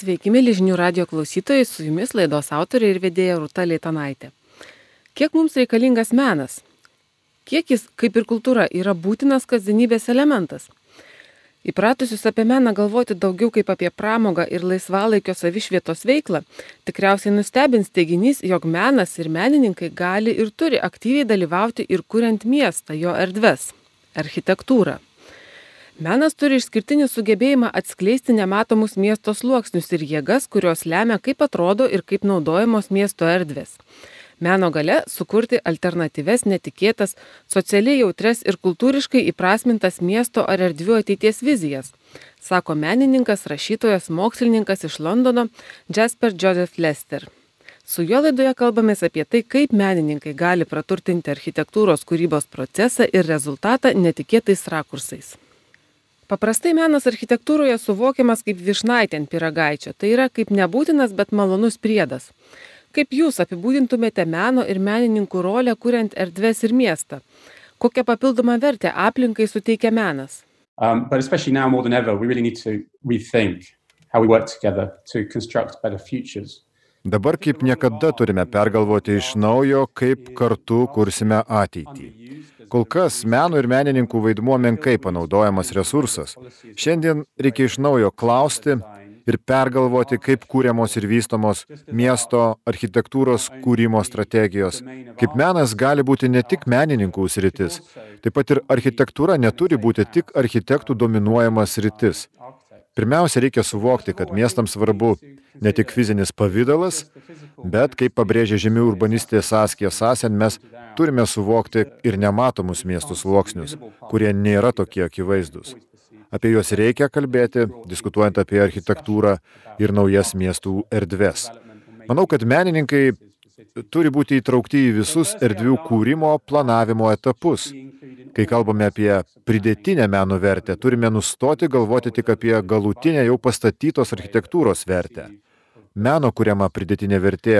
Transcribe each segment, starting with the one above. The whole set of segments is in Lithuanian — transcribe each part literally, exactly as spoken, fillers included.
Sveiki, mėly žinių radio klausytojai, su jumis laidos autorė ir vedėja Rūta Leitanaitė. Kiek mums reikalingas menas? Kiek jis, kaip ir kultūra, yra būtinas kasdienybės elementas? Įpratusius apie meną galvoti daugiau kaip apie pramogą ir laisvalaikio savišvietos veiklą, tikriausiai nustebins teiginys, jog menas ir menininkai gali ir turi aktyviai dalyvauti ir kuriant miestą, jo erdves, architektūrą. Menas turi išskirtinį sugebėjimą atskleisti nematomus miesto sluoksnius ir jėgas, kurios lemia, kaip atrodo ir kaip naudojamos miesto erdvės. Meno galia sukurti alternatyves, netikėtas, socialiai jautres ir kultūriškai įprasmintas miesto ar erdvių ateities vizijas, sako menininkas, rašytojas, mokslininkas iš Londono Jasper Joseph Lester. Su juo laidoje kalbamės apie tai, kaip menininkai gali praturtinti architektūros kūrybos procesą ir rezultatą netikėtais rakursais. Paprastai menas architektūroje suvokiamas kaip vyšnaitė ant pyragaičio, tai yra kaip nebūtinas, bet malonus priedas. Kaip jūs apibūdintumėte meno ir menininkų rolę kuriant erdves ir miestą? Kokią papildomą vertę aplinkai suteikia menas? Um, but especially now more than ever, we really need to rethink how we work together to construct better futures. Dabar kaip niekada turime pergalvoti iš naujo, kaip kartu kursime ateitį. Kol kas meno ir menininkų vaidmuo menkai panaudojamas resursas. Šiandien reikia iš naujo klausti ir pergalvoti, kaip kūriamos ir vystomos miesto architektūros kūrimo strategijos. Kaip menas gali būti ne tik menininkų sritis, taip pat ir architektūra neturi būti tik architektų dominuojamas sritis. Pirmiausia, reikia suvokti, kad miestams svarbu ne tik fizinis pavidalas, bet, kaip pabrėžia žymi urbanistė Saskija Sassen, mes turime suvokti ir nematomus miestų sluoksnius, kurie nėra tokie akivaizdūs. Apie juos reikia kalbėti, diskutuojant apie architektūrą ir naujas miestų erdves. Manau, kad menininkai turi būti įtraukti į visus erdvių kūrimo, planavimo etapus. Kai kalbame apie pridėtinę meno vertę, turime nustoti galvoti tik apie galutinę jau pastatytos architektūros vertę. Meno kuriama pridėtinė vertė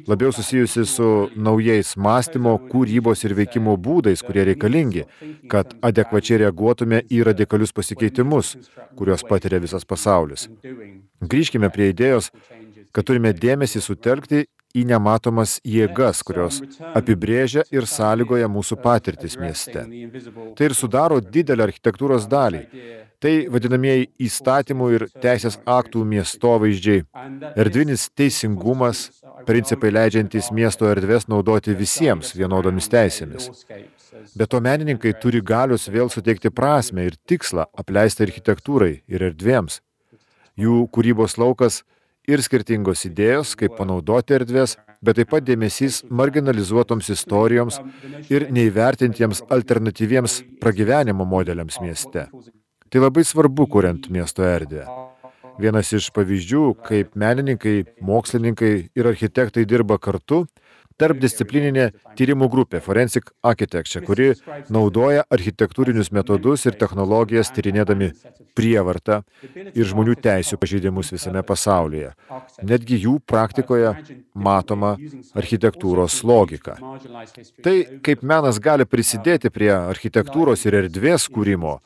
labiau susijusi su naujais mąstymo, kūrybos ir veikimo būdais, kurie reikalingi, kad adekvačiai reaguotume į radikalius pasikeitimus, kuriuos patiria visas pasaulis. Grįžkime prie idėjos, kad turime dėmesį sutelkti į nematomas jėgas, kurios apibrėžia ir sąlygoja mūsų patirtis mieste. Tai ir sudaro didelę architektūros dalį. Tai vadinamieji įstatymų ir teisės aktų miestovaizdžiai, erdvinis teisingumas, principai leidžiantys miesto erdves naudoti visiems vienodomis teisėmis. Be to menininkai turi galios vėl suteikti prasmę ir tikslą apleisti architektūrai ir erdvėms. Jų kūrybos laukas ir skirtingos idėjos, kaip panaudoti erdvės, bet taip pat dėmesys marginalizuotoms istorijoms ir neįvertintiems alternatyviems pragyvenimo modeliams mieste. Tai labai svarbu, kuriant miesto erdvę. Vienas iš pavyzdžių, kaip menininkai, mokslininkai ir architektai dirba kartu, tarpdisciplininė tyrimų grupė Forensic Architecture, kuri naudoja architektūrinius metodus ir technologijas tyrinėdami prievartą ir žmonių teisių pažeidimus visame pasaulyje. Netgi jų praktikoje matoma architektūros logika. Tai, kaip menas gali prisidėti prie architektūros ir erdvės kūrimo,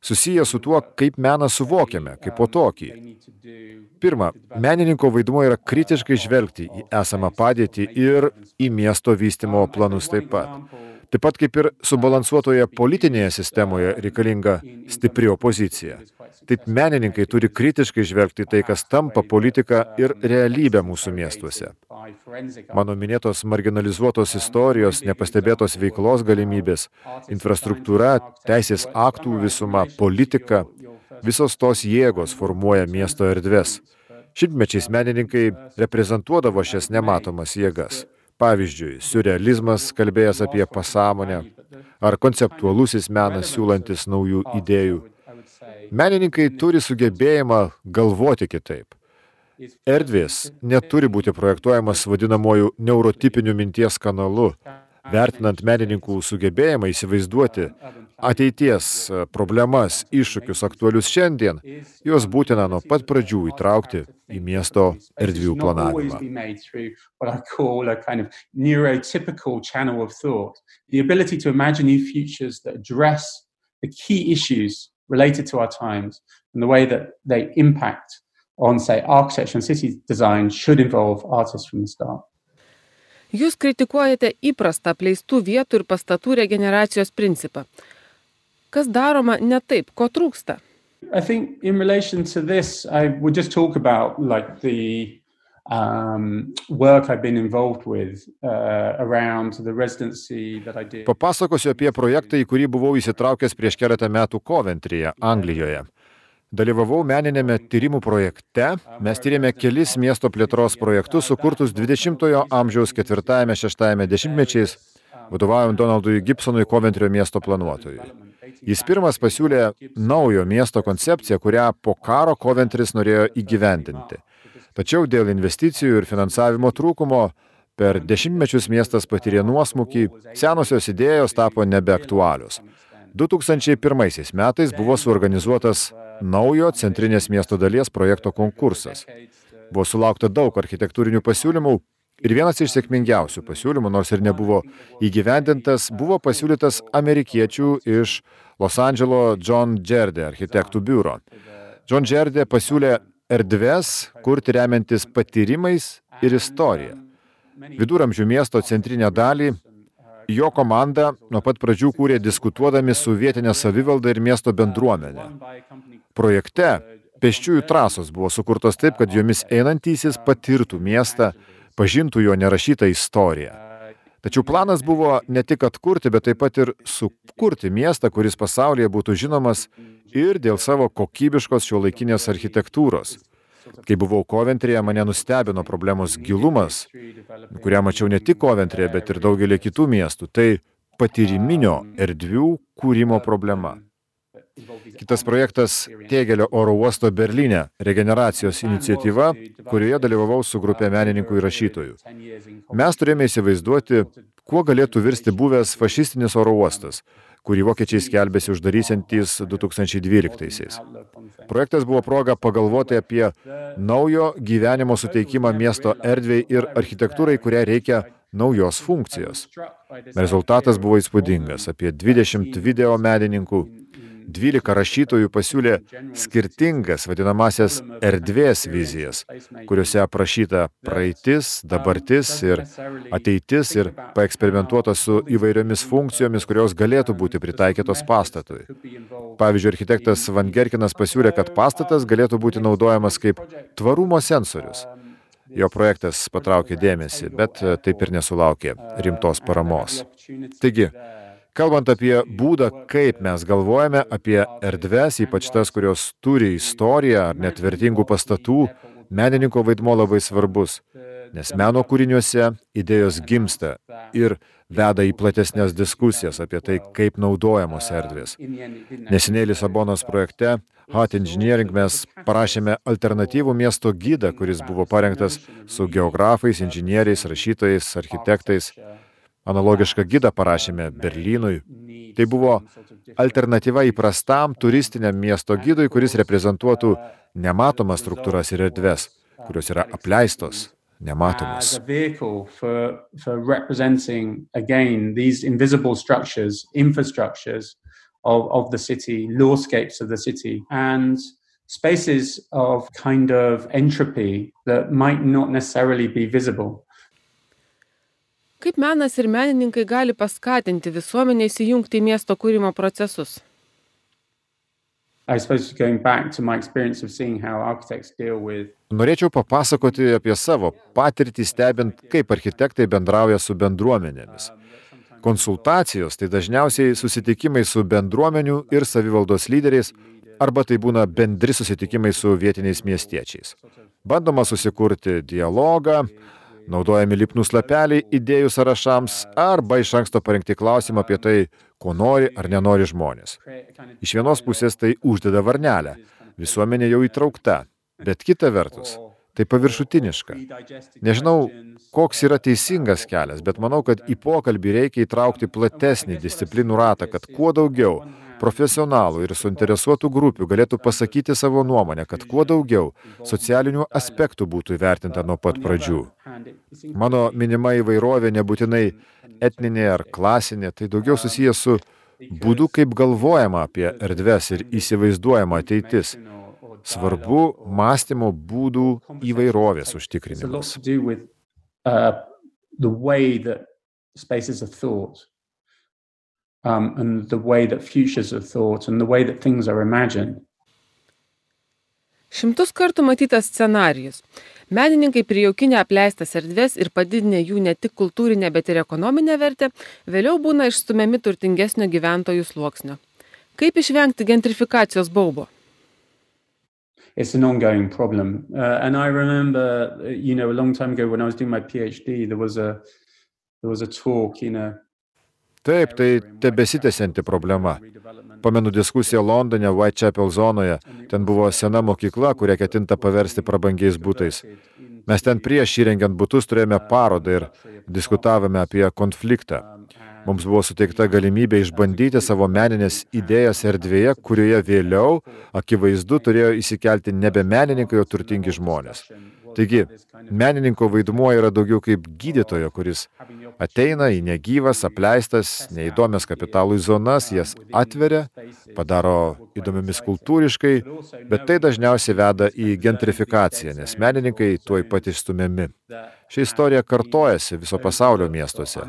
susiję su tuo, kaip meną suvokiame, kaip po tokį. Pirma, menininko vaidmuo yra kritiškai žvelgti į esamą padėtį ir į miesto vystymo planus taip pat. Taip pat kaip ir subalansuotoje politinėje sistemoje reikalinga stipri opozicija. Taip menininkai turi kritiškai žvelgti tai, kas tampa politika ir realybė mūsų miestuose. Mano minėtos marginalizuotos istorijos, nepastebėtos veiklos galimybės, infrastruktūra, teisės aktų visuma, politika, visos tos jėgos formuoja miesto erdves. Šimtmečiais menininkai reprezentuodavo šias nematomas jėgas. Pavyzdžiui, siurrealizmas, kalbėjęs apie pasąmonę, ar konceptualusis menas siūlantis naujų idėjų. Menininkai turi sugebėjimą galvoti kitaip. Erdvės neturi būti projektuojamas vadinamuoju neurotipiniu minties kanalu, vertinant menininkų sugebėjimą įsivaizduoti ateities problemas, iššūkius aktualius šiandien, juos būtina nuo pat pradžių įtraukti į miesto erdvių planavimą. Related to our times and the way that they impact on, say, architecture and city design should involve artists from the start. Jūs kritikuojate įprastą apleistų vietų ir pastatų regeneracijos principą. Kas daroma ne taip, ko trūksta? I think in relation to this, I would just talk about like the um, work I've been involved with uh, around the residency that I did. Papasakosiu apie projektą, į kurį buvau įsitraukęs prieš keletą metų Coventryje, Anglijoje. Dalyvavau meninėme tyrimų projekte, mes tyrėme kelis miesto plėtros projektus sukurtus dvidešimtojo amžiaus ketvirtajame šeštajame dešimtmečiais, vadovaujant Donaldui Gibsonui, Coventryje miesto planuotojui. Jis pirmas pasiūlė naujo miesto koncepciją, kurią po karo Coventrys norėjo įgyvendinti. Tačiau dėl investicijų ir finansavimo trūkumo per dešimtmečius miestas patyrė nuosmukį, senosios idėjos tapo nebeaktualios. du tūkstančiai pirmaisiais metais buvo suorganizuotas naujo centrinės miesto dalies projekto konkursas. Buvo sulaukta daug architektūrinių pasiūlymų ir vienas iš sėkmingiausių pasiūlymų, nors ir nebuvo įgyvendintas, buvo pasiūlytas amerikiečių iš Los Andželo John Jerde architektų biuro. John Jerde pasiūlė erdves kurti remiantis patyrimais ir istorija. Viduramžių miesto centrinę dalį jo komanda nuo pat pradžių kūrė diskutuodami su vietinė savivalda ir miesto bendruomenė. Projekte pėsčiųjų trasos buvo sukurtos taip, kad jomis einantysis patirtų miestą, pažintų jo nerašytą istoriją. Tačiau planas buvo ne tik atkurti, bet taip pat ir sukurti miestą, kuris pasaulyje būtų žinomas ir dėl savo kokybiškos šiuolaikinės architektūros. Kai buvau Coventryje, mane nustebino problemos gilumas, kurią mačiau ne tik Coventryje, bet ir daugelį kitų miestų. Tai patyriminio erdvių kūrimo problema. Kitas projektas Tegelio oro uosto Berlyne regeneracijos iniciatyva, kurioje dalyvavau su grupė menininkų ir rašytojų. Mes turėjome įsivaizduoti, kuo galėtų virsti buvęs fašistinis oro uostas, kurį vokiečiai skelbėsi uždarysiantys du tūkstančiai dvyliktaisiais. Projektas buvo proga pagalvoti apie naujo gyvenimo suteikimą miesto erdvei ir architektūrai, kurią reikia naujos funkcijos. Rezultatas buvo įspūdingas. Apie dvidešimt video menininkų, dvylika rašytojų pasiūlė skirtingas vadinamasias erdvės vizijas, kuriuose aprašyta praeitis, dabartis ir ateitis ir paeksperimentuota su įvairiomis funkcijomis, kurios galėtų būti pritaikytos pastatui. Pavyzdžiui, architektas Van Gerkinas pasiūlė, kad pastatas galėtų būti naudojamas kaip tvarumo sensorius. Jo projektas patraukė dėmesį, bet taip ir nesulaukė rimtos paramos. Taigi, kalbant apie būdą, kaip mes galvojame apie erdves, ypač tas, kurios turi istoriją ar net vertingų pastatų, menininko vaidmuo labai svarbus, nes meno kūriniuose idėjos gimsta ir veda į platesnės diskusijas apie tai, kaip naudojamos erdvės. Neseniai Lisabonos projekte Hot Engineering mes parašėme alternatyvų miesto gidą, kuris buvo parengtas su geografais, inžinieriais, rašytojais, architektais. Analogišką gidą parašėme Berlynui. Tai buvo alternatyva įprastam turistiniam miesto gidui, kuris reprezentuotų nematomas struktūras ir erdves, kurios yra apleistos, nematomas. As a vehicle for, for representing, again, these invisible structures, infrastructures of, of the city, lawscapes of the city, and spaces of kind of entropy that might not necessarily be visible. Kaip menas ir menininkai gali paskatinti visuomenę įsijungti į miesto kūrimo procesus? I suppose going back to my experience of seeing how architects deal with Norėčiau papasakoti apie savo patirtį stebint, kaip architektai bendrauja su bendruomenėmis. Konsultacijos tai dažniausiai susitikimai su bendruomenių ir savivaldos lyderiais, arba tai būna bendri susitikimai su vietiniais miestiečiais. Bandoma susikurti dialogą, naudojami lipnūs lapeliai idėjų sąrašams arba iš anksto parengti klausimą apie tai, ko nori ar nenori žmonės. Iš vienos pusės tai uždeda varnelę, visuomenė jau įtraukta, bet kita vertus, tai paviršutiniška. Nežinau, koks yra teisingas kelias, bet manau, kad į pokalbį reikia įtraukti platesnį disciplinų ratą, kad kuo daugiau profesionalų ir suinteresuotų grupių galėtų pasakyti savo nuomonę, kad kuo daugiau socialinių aspektų būtų įvertinta nuo pat pradžių. Mano minima įvairovė nebūtinai etninė ar klasinė, tai daugiau susijęs su būdu, kaip galvojama apie erdves ir įsivaizduojama ateitis. Svarbu mąstymo būdų įvairovės It's a lot užtikrinimas. to do with uh, the way that spaces are thought, um, and the way that futures are thought, and the way that things are imagined. Šimtus kartų matytas scenarijus. Menininkai prijaukinę apleistas erdvės ir padidinę jų ne tik kultūrinę, bet ir ekonominę vertę, vėliau būna išstumiami turtingesnio gyventojų sluoksnio. Kaip išvengti gentrifikacijos baubo? It's an ongoing problem. Uh, and I remember, uh, you know, a long time ago when I was doing my PhD, there was a, there was a talk in a... Taip, tai tebesitęsianti problema. Pamenu diskusiją Londone, Whitechapel zonoje. Ten buvo sena mokykla, kurią ketinta paversti prabangiais butais. Mes ten prieš įrengiant butus turėjome parodą ir diskutavome apie konfliktą. Mums buvo suteikta galimybė išbandyti savo meninės idėjas erdvėje, kurioje vėliau akivaizdu turėjo įsikelti nebe menininkai, o turtingi žmonės. Taigi, menininko vaidmuo yra daugiau kaip gydytojo, kuris ateina į negyvas, apleistas, neįdomias kapitalui zonas, jas atveria, padaro įdomiomis kultūriškai, bet tai dažniausiai veda į gentrifikaciją, nes menininkai tuoj pat išstumiami. Ši istorija kartojasi viso pasaulio miestuose.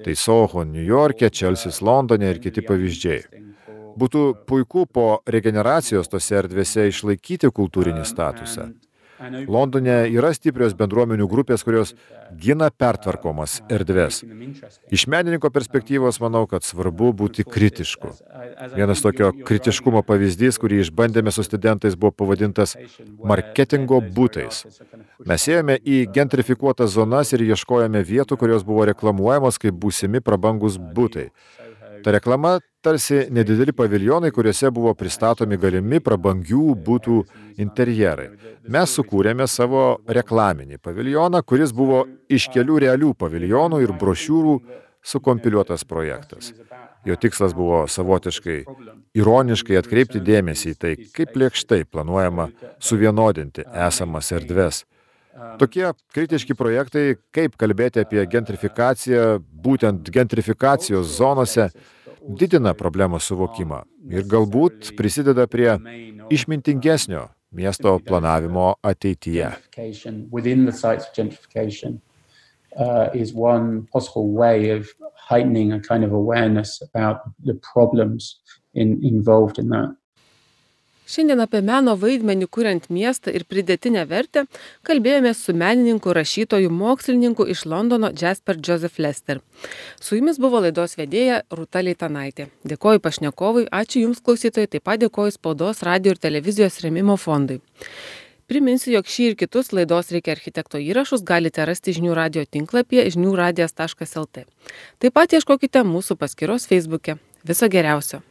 Tai Soho, New York'e, Čelsis, Londone ir kiti pavyzdžiai. Būtų puiku po regeneracijos tose erdvėse išlaikyti kultūrinį statusą. Londone yra stiprios bendruomenių grupės, kurios gina pertvarkomas erdves. Iš menininko perspektyvos manau, kad svarbu būti kritišku. Vienas tokio kritiškumo pavyzdys, kurį išbandėme su studentais, buvo pavadintas marketingo būtais. Mes ėjome į gentrifikuotas zonas ir ieškojome vietų, kurios buvo reklamuojamos kaip būsimi prabangus būtai. Ta reklama tarsi nedideli paviljonai, kuriuose buvo pristatomi galimi prabangių būtų interjerai. Mes sukūrėme savo reklaminį paviljoną, kuris buvo iš kelių realių paviljonų ir brošiūrų sukompiliuotas projektas. Jo tikslas buvo savotiškai, ironiškai atkreipti dėmesį į tai, kaip lėkštai planuojama suvienodinti esamas erdves. Tokie kritiški projektai, kaip kalbėti apie gentrifikaciją, būtent gentrifikacijos zonose, didina problemos suvokimą ir galbūt prisideda prie išmintingesnio miesto planavimo ateityje. Within the sites of gentrification uh, is one possible way of heightening a kind of awareness about the problems in, involved in that. Šiandien apie meno vaidmenį kuriant miestą ir pridėtinę vertę kalbėjomės su menininku, rašytoju, mokslininku iš Londono Jasper Joseph Lester. Su jumis buvo laidos vedėja Rūta Leitanaitė. Dėkoju pašnekovui, ačiū jums klausytojai, taip pat dėkoju Spaudos, radijo ir televizijos rėmimo fondui. Priminsiu, jog šį ir kitus laidos Reikia architekto įrašus galite rasti žinių radijo tinklapyje žinių radijas taškas el tė. Taip pat ieškokite mūsų paskyros Facebook'e. Viso geriausio.